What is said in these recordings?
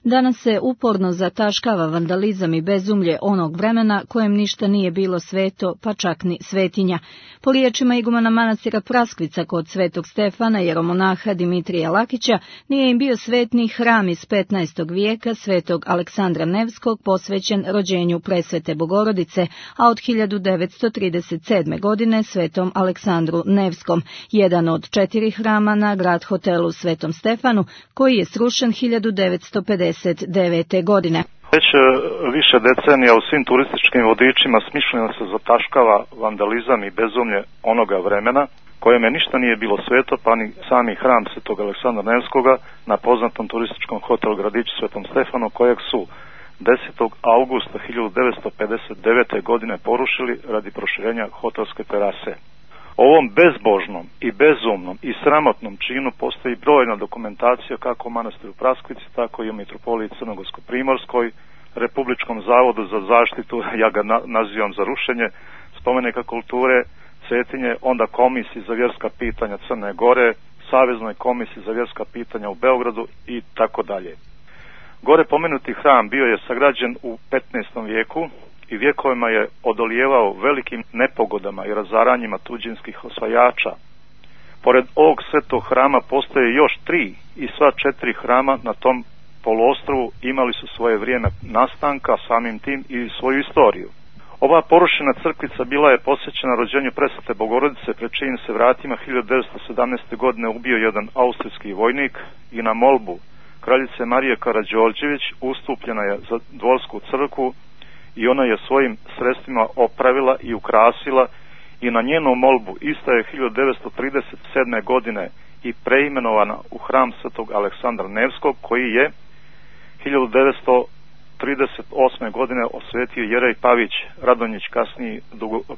Danas se uporno zataškava vandalizam i bezumlje onog vremena kojem ništa nije bilo sveto, pa čak ni svetinja. Po riječima igumana manastira Praskvica kod Svetog Stefana jeromonaha Dimitrija Lakića nije im bio svetni hram iz 15. vijeka Svetog Aleksandra Nevskog posvećen rođenju Presvete Bogorodice, a od 1937. godine Svetom Aleksandru Nevskom, jedan od 4 hrama na grad hotelu Svetom Stefanu, koji je srušen 1959. godine. Već više decenija u svim turističkim vodičima smišljeno se zataškava vandalizam i bezumlje onoga vremena, kojeme ništa nije bilo sveto, pa ni sami hram Svetog Aleksandra Nevskoga na poznatom turističkom hotelu gradiću Svetom Stefanu, kojeg su 10. augusta 1959. godine porušili radi proširenja hotelske terase. Ovom bezbožnom i bezumnom i sramotnom činu postoji brojna dokumentacija kako u manastiru Praskvici, tako i u mitropoliji Crnogorsko-primorskoj, Republičkom zavodu za zaštitu, ja ga nazivam za rušenje spomenika kulture Cetinje, onda Komisiji za vjerska pitanja Crne Gore, Saveznoj komisiji za vjerska pitanja u Beogradu i tako dalje. Gore pomenuti hram bio je sagrađen u 15. vijeku i vjekovima je odolijevao velikim nepogodama i razaranjima tuđinskih osvajača. Pored ovog svetog hrama postoje još 3 i sva 4 hrama na tom poluostrvu imali su svoje vrijeme nastanka, samim tim i svoju istoriju. Ova porušena crkvica bila je posvećena rođenju Presvete Bogorodice, pred čijim se vratima 1917. godine ubio jedan austrijski vojnik i na molbu kraljice Marije Karađorđević ustupljena je za dvorsku crkvu i ona je svojim sredstvima opravila i ukrasila i na njenu molbu ista je 1937. godine i preimenovana u hram Svetog Aleksandra Nevskog, koji je 1938. godine osvetio Jerej Pavić Radonjić,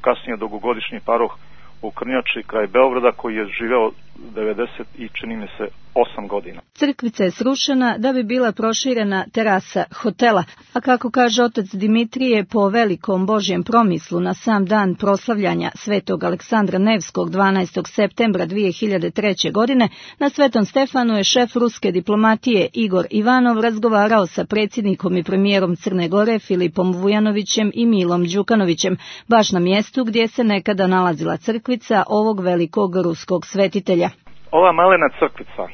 kasnije dugogodišnji paroh u Krnjači kraj Beograda, koji je živeo 90 i čini mi se 8 godina. Crkvica je srušena da bi bila proširena terasa hotela, a kako kaže otac Dimitrije, po velikom Božjem promislu na sam dan proslavljanja Svetog Aleksandra Nevskog 12. septembra 2003. godine, na Svetom Stefanu je šef ruske diplomatije Igor Ivanov razgovarao sa predsjednikom i premijerom Crne Gore Filipom Vujanovićem i Milom Đukanovićem, baš na mjestu gdje se nekada nalazila crkvica ovog velikog ruskog svetitelja. Ova malena crkvica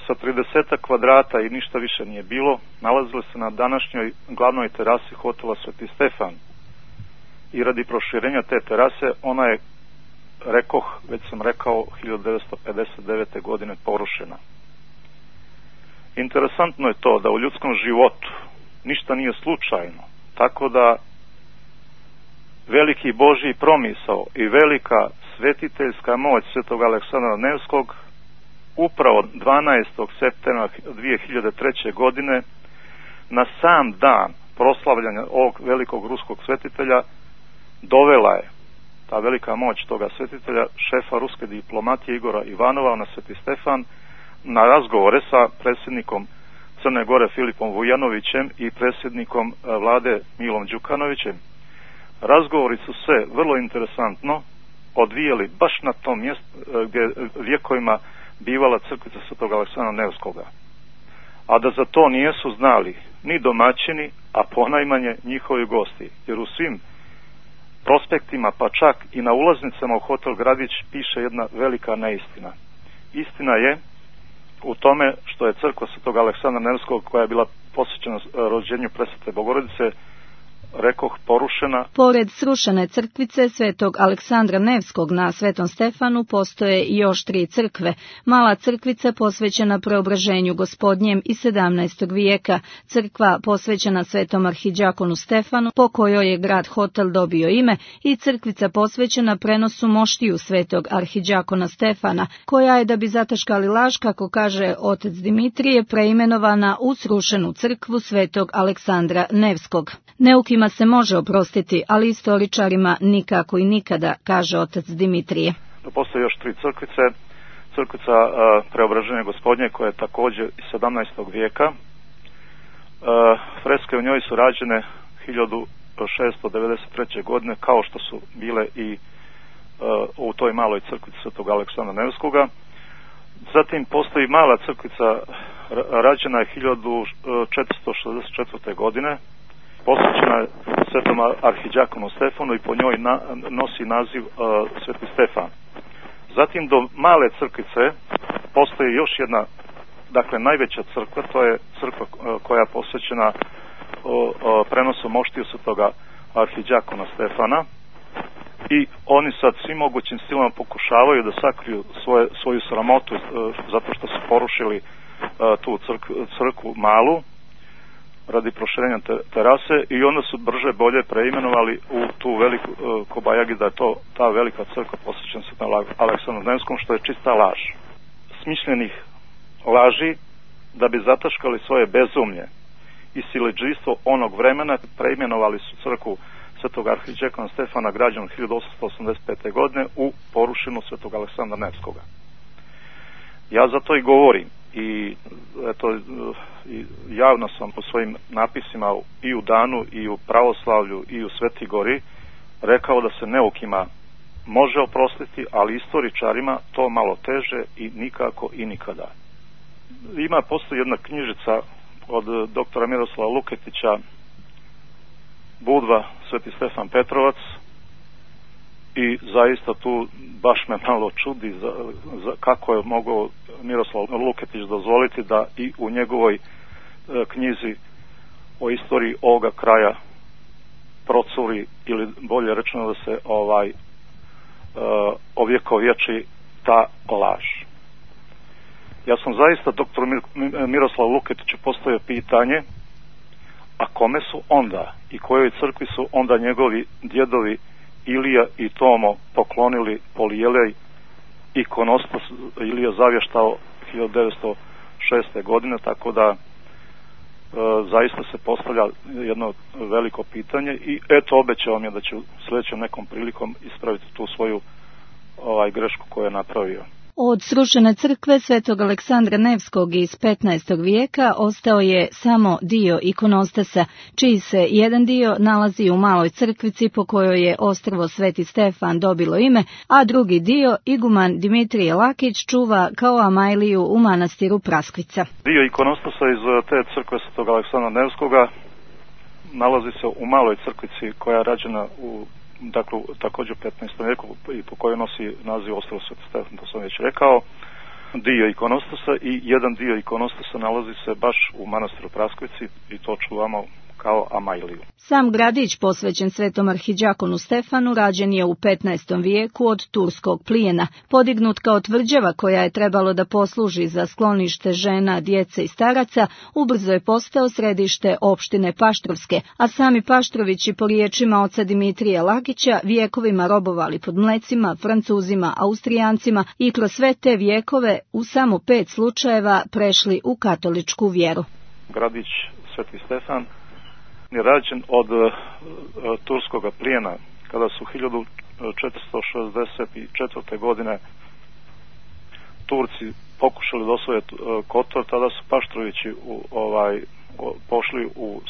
sa 30 kvadrata i ništa više nije bilo, nalazila se na današnjoj glavnoj terasi hotela Sveti Stefan. I radi proširenja te terase ona je, već sam rekao, 1959. godine porušena. Interesantno je to da u ljudskom životu ništa nije slučajno, tako da veliki Božji promisao i velika svetiteljska moć Svetog Aleksandra Nevskog upravo 12. septembra 2003. godine na sam dan proslavljanja ovog velikog ruskog svetitelja dovela je ta velika moć toga svetitelja šefa ruske diplomatije Igora Ivanova na Sveti Stefan na razgovore sa predsjednikom Crne Gore Filipom Vujanovićem i predsjednikom vlade Milom Đukanovićem. Razgovori su se vrlo interesantno odvijeli baš na tom mjestu gdje vjekovima bivala crkvica Svetog Aleksandra Nevskoga. A da za to nijesu znali ni domaćini, a ponajmanje njihovi gosti, jer u svim prospektima, pa čak i na ulaznicama u hotel Gradić piše jedna velika neistina. Istina je u tome što je crkva Svetog Aleksandra Nevskog, koja je bila posvećena rođenju Presvete Bogorodice, porušena. Pored srušene crkvice Svetog Aleksandra Nevskog na Svetom Stefanu postoje još 3 crkve. Mala crkvica posvećena Preobraženju Gospodnjem iz 17. vijeka, crkva posvećena Svetom Arhiđakonu Stefanu, po kojoj je grad hotel dobio ime, i crkvica posvećena prenosu moštiju Svetog Arhiđakona Stefana, koja je, da bi zataškali laž, kako kaže otac Dimitrije, preimenovana u srušenu crkvu Svetog Aleksandra Nevskog. Neukima se može oprostiti, ali istoričarima nikako i nikada, kaže otac Dimitrije. Postoje još 3 crkvice. Crkvica Preobraženja Gospodnje, koja je također iz 17. vijeka. Freske u njoj su rađene 1693. godine, kao što su bile i u toj maloj crkvici Svetog Aleksandra Nevskoga. Zatim postoji mala crkvica, rađena je 1464. godine, posvećena je svetom arhidjakonu Stefanu i po njoj nosi naziv Sveti Stefan. Zatim do male crkvice postoji još jedna, dakle najveća crkva, to je crkva koja je posvećena prenosom moštiju svetoga arhidjakona Stefana, i oni sad svim mogućim stilama pokušavaju da sakriju svoju sramotu zato što su porušili tu crkvu malu radi proširenja terase, i onda su brže bolje preimenovali u tu veliku Kobajagi, da je to ta velika crkva posvećena svetom Aleksandru Nevskom, što je čista laž. Smišljenih laži da bi zataškali svoje bezumlje i siledžijstvo onog vremena, preimenovali su crkvu svetog arhidjakona Stefana, građanu 1885. godine, u porušinu svetog Aleksandra Nevskoga. Ja za to i govorim, i eto, javno sam po svojim napisima i u Danu, i u Pravoslavlju, i u Sveti Gori rekao da se neukima može oprostiti, ali istoričarima to malo teže i nikako i nikada. Postoji jedna knjižica od doktora Miroslava Luketića, Budva Sveti Stefan Petrovac, i zaista tu baš me malo čudi kako je mogao Miroslav Luketić dozvoliti da i u njegovoj knjizi o istoriji ovoga kraja procuri, ili bolje rečeno da se ovjekovječi ta laž. Ja sam zaista doktor Miroslav Luketiću postavio pitanje, a kome su onda i kojoj crkvi su onda njegovi djedovi Ilija i Tomo poklonili polijelej ikonostas? Ilija zavještao 1906. godine, tako da zaista se postavlja jedno veliko pitanje, i eto, obećao mi je da će sljedećom nekom prilikom ispraviti tu svoju grešku koju je napravio. Od srušene crkve svetog Aleksandra Nevskog iz 15. vijeka ostao je samo dio ikonostasa, čiji se jedan dio nalazi u maloj crkvici po kojoj je ostrvo Sveti Stefan dobilo ime, a drugi dio iguman Dimitrije Lakić čuva kao amajliju u manastiru Praskvica. Dio ikonostasa iz te crkve svetog Aleksandra Nevskoga nalazi se u maloj crkvici koja je rađena također u 15. vijeku i po kojoj nosi naziv ostrvo Sveti Stefan, to sam već rekao. Dio ikonostasa, i jedan dio ikonostasa nalazi se baš u manastiru Praskvici, i to čuvamo kao amajliju. Sam gradić posvećen svetom arhidjakonu Stefanu rađen je u 15. vijeku od turskog plijena, podignut kao tvrđava koja je trebalo da posluži za sklonište žena, djece i staraca, ubrzo je postao središte opštine Paštrovske, a sami Paštrovići, po riječima oca Dimitrija Lakića, vijekovima robovali pod Mlecima, Francuzima, Austrijancima i kroz sve te vijekove u samo 5 slučajeva prešli u katoličku vjeru. Gradić Sveti Stefan je rađen od turskog plijena, kada su 1464. godine Turci pokušali da osvoje Kotor. Tada su Paštrovići pošli u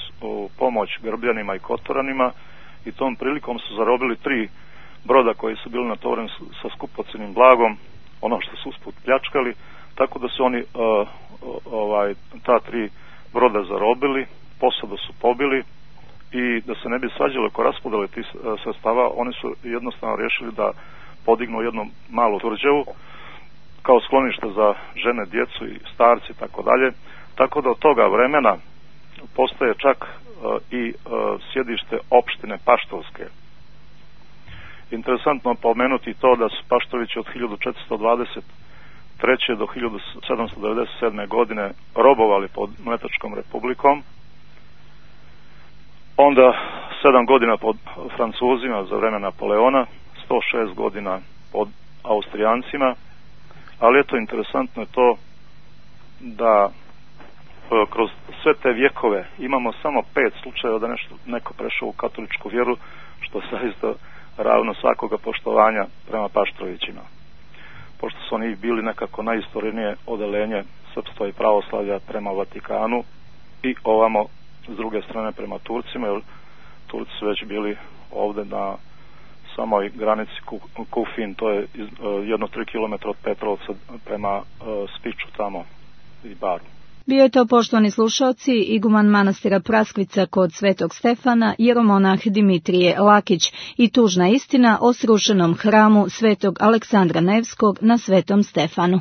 pomoć Grbljanima i Kotoranima, i tom prilikom su zarobili 3 broda koji su bili natovareni sa skupocenim blagom, ono što su usput pljačkali, tako da su oni ta 3 broda zarobili, posadu su pobili, i da se ne bi svađali oko raspodjele tih sredstava, oni su jednostavno rješili da podignu jednu malu tvrđavu kao sklonište za žene, djecu i starci i tako dalje. Tako da od toga vremena postaje čak i sjedište opštine Paštovske. Interesantno pomenuti to da su Paštovići od 1423. do 1797. godine robovali pod Mletačkom republikom, onda 7 godina pod Francuzima za vreme Napoleona, 106 godina pod Austrijancima, ali eto, interesantno je to da kroz sve te vjekove imamo samo 5 slučajeva da neko prešao u katoličku vjeru, što je zaista ravno svakoga poštovanja prema Paštrovićima. Pošto su oni bili nekako najistorijnije odelenje srpstva i pravoslavlja prema Vatikanu, i ovamo s druge strane prema Turcima, jer Turci su već bili ovdje na samoj granici Kufin, to je 1-3 km od Petrovca prema Spiču tamo i Baru. Bio je to, poštovani slušalci, iguman manastira Praskvica kod Svetog Stefana, jeromonah Dimitrije Lakić, i tužna istina o srušenom hramu Svetog Aleksandra Nevskog na Svetom Stefanu.